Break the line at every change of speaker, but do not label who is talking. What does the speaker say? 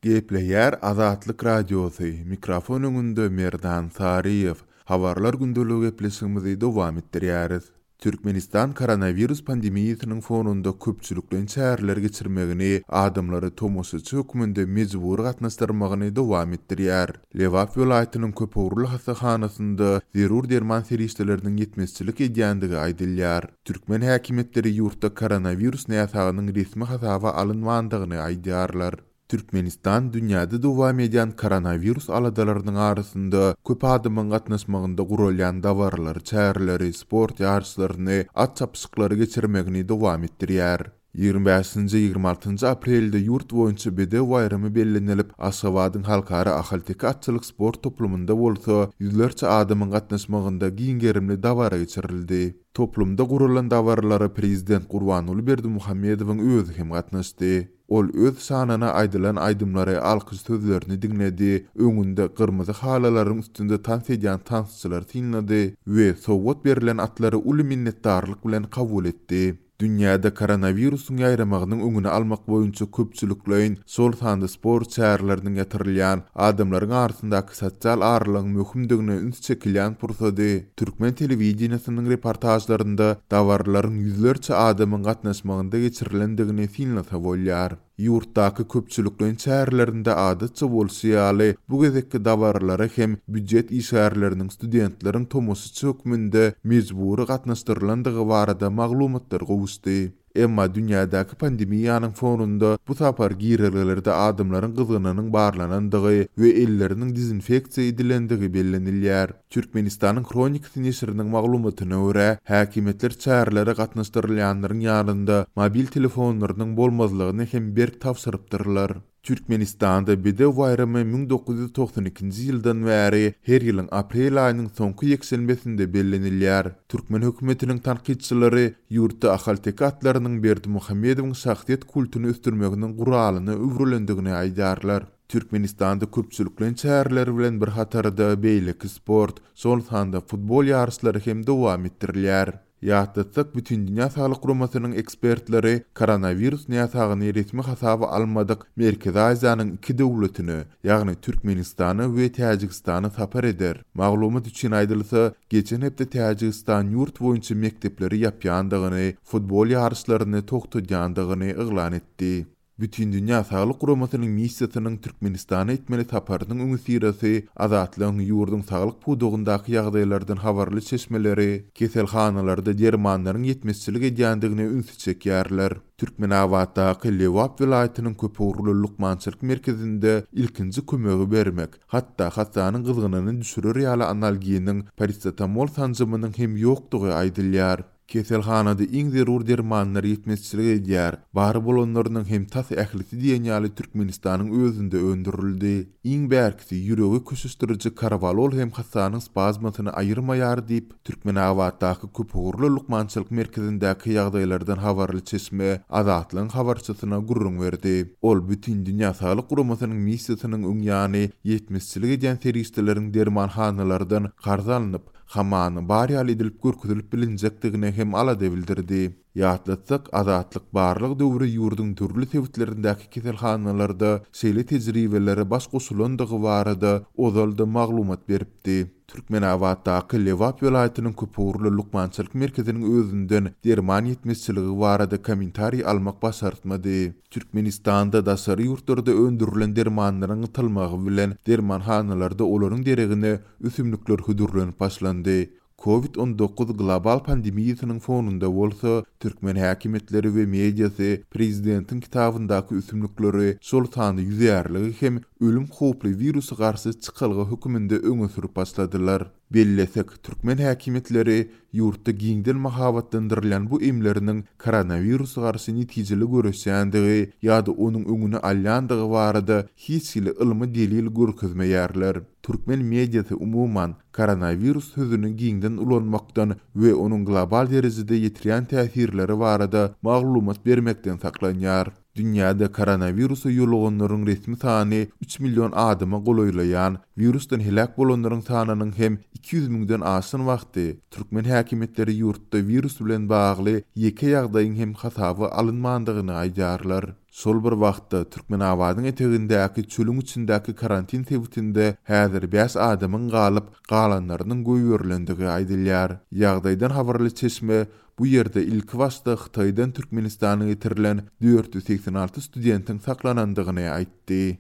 Gepleýär Azatlyk Radiosy, mikrofon öňünde Merdan Saryýew. Habarlar gündeligi gepleşigimizi dowam etdirýäris. Türkmenistan koronawirus pandemiýasynyň fonunda köpçülikleýin çäreler geçirmegini, adamlary tomaşaçy hökmünde mejbury gatnaşdyrmagyny dowam etdirýär. Lebap welaýatynyň köpugurly hassahanasynda zerur derman serişdeleriniň ýetmezçilik edýändigi aýdylýar. Türkmen häkimiýetleri ýurtda koronawirus näsagynyň resmi hasaba alynmandygyny aýdýarlar. Türkmenistan dünýäde dowam edýän koronawirus aladalarynyň arasynda köp adamyň gatnaşmagynda guralýan dabaraly çäreleri, sport ýaryşlaryny, at çapyşyklary geçirmegini dowam etdirýär. Ýigrimi bäşinji, ýigrimi altynjy aprelde ýurt boýunça Bedew baýramy bellenilip, Aşgabadyň Halkara ahalteke atçylyk sport toplumynda bolsa ýüzlerçe adamyň gatnaşmagynda giň gerimli dabara geçirildi. Toplumda guralan dabaralara prezident Gurbanguly Berdimuhamedowyň özi hem gatnaşdy. Ol öz şanyna aýdylan aýdymlary, alkyş sözlerini diňledi, öňünde gyrmyzy halylaryň üstünde tans edýän tansçylary synlady we sowgat berlen atlary uly minnetdarlyk bilen kabul etdi. Dünýäde koronawirusyň ýaýramagynyň öňüni almak boýunça köpçülikleýin, şol sanda sport çäreleriniň ýatyrylýan, adamlaryň arasyndaky sosial aralygyň möhümdigine üns çekilýän pursady türkmen telewideniýesiniň reportažlarynda dabaralaryň ýüzlerçe adamyň gatnaşmagynda geçirilendigini synlasa bolýar. Ýurtdaky köpçülikleýin çärelerinde adatça bolşy ýaly, bu gezekki dabaralara hem býujet işgärleriniň, studentleriň tomaşaçy hökmünde mejbury gatnaşdyrylandygy barada maglumatlar gowuşdy. Emma dünýädäki pandemiýanyň fonunda bu sapar girelgelerde adamlaryň gyzgynynyň barlanandygy we elleriniň dezinfeksiýa edilendigi bellenilýär. Türkmenistanyň Hronikasy neşiriniň maglumatyna görä, häkimiýetler çärelere gatnaşdyrylýanlaryň ýanynda mobil telefonlarynyň bolmazlygyny hem berk tabşyrypdyrlar. Türkmenistanda Bedew baýramy 1992-nji ýyldan bäri her ýylyň aprel aýynyň soňky ýekşenbesinde bellenilýär. Türkmen hökümetiniň tankytçylary ýurtda ahalteke atlarynyň Berdimuhamedowyň şahsyýet kultuny ösdürmeginiň guralyna öwrülendigini aýdýarlar. Türkmenistanda köpçülikleýin çäreler bilen bir hatarda beýleki sport, şol sanda futbol ýaryşlary hem dowam etdirilýär. Ýatlatsak, Bütindünýä Saglyk Guramasynyň ekspertleri koronawirus näsagyny resmi hasaba almadyk Merkezi Aziýanyň iki döwletine, ýagny Türkmenistana we Täjigistana sapar eder. Maglumat üçin aýdylsa, geçen hepde Täjigistan ýurt boýunça mekdepleri ýapýandygyny, futbol ýaryşlaryny togtadýandygyny yglan etdi. Bütindünýä Saglyk Guramasynyň missiýasynyň Türkmenistana etmeli saparynyň öňüsyrasy Azatlygyň ýurduň saglyk pudagyndaky ýagdaýlardan habarly çeşmeleri keselhanalarda dermanlaryň ýetmezçilik edýändigine ünsi çekýärler. Türkmenabatdaky Lebap welaýatynyň köpugurly lukmançylyk merkezinde ilkinji kömegi bermek, hatda hassanyň gyzgynyny düşürer ýaly analginiň, parasetamol sanjymynyň hem ýokdugy aýdylýar. Keselhanada iň zerur dermanlar ýetmezçilik edýär. Bar bolanlarynyň hem tas ählisi diýen ýaly Türkmenistanyň özünde öndürildi. Iň bärkisi, ýüregi köşeşdiriji karwalol hem hassanyň spazmasyny aýyrmaýar diýip, Türkmenabatdaky köpugurly lukmançylyk merkezindäki ýagdaýlardan habarly çeşme Azatlygyň habarçysyna gürrüň berdi. Ol Bütindünýä Saglyk Guramasynyň missiýasynyň öň ýany ýetmezçilik edýän serişdeleriň dermanhanalardan karz alnyp, Hamana bar ýaly edilip görkezilip bilinjekdigine hem alada bildirdi. Ýatlatsak, Azatlyk barlag döwri ýurduň dürli sebitlerindäki keselhanalarda şeýle tejribelere baş goşulandygy barada ozal-da maglumat beripdi. Türkmenabatdaky Lebap welaýatynyň köpugurly lukmançylyk merkeziniň özünden derman ýetmezçiligi barada kommentariý almak başartmady. Türkmenistanda daşary ýurtlarda öndürilen dermanlaryň gytylmagy bilen dermanhanalarda olaryň deregine ösümlikler hödürlenip başlandy. Covid 19 global pandemiýasynyň fonunda bolsa, türkmen häkimiýetleri we mediasy prezidentiň kitabyndaky ösümlikleri, şol sanda ýüzärligi hem ölüm howply wirusa garşy çykalga höküminde öňe sürüp başladylar. Bellesek, türkmen häkimiýetleri ýurtda giňden mahabatlandyrylýan bu emleriniň koronawirusa garşy netijeli göreşýändigi ýa-da onuň öňüni alýandygy barada hiç hili ylmy delil görkezmeýärler. Türkmen mediasy umuman, koronawirus sözüni giňden ulanmakdan we onuň global derejede ýetirýän täsirleri barada maglumat bermekden saklanýar. Dünýäde koronawirusa ýoluganlaryň resmi sany üç million adama golaýlaýan, wirusdan heläk bolanlaryň sanynyň hem 200 müňden aşan wagty, türkmen häkimiýetleri ýurtda wirus bilen bagly ýeke ýagdaýyň hem hasaba alynmandygyny aýdýarlar. Şol bir wagtda, Türkmenabadyň etegindäki çölüň içindäki karantin sebitinde häzir bäş adamyň galyp, galanlarynyň goýberilendigi aýdylýar. Ýagdaýdan habarly çeşme bu ýerde ilkibaşda Hytaýdan Türkmenistana getirilen 486 studentiň saklanandygyny aýtdy.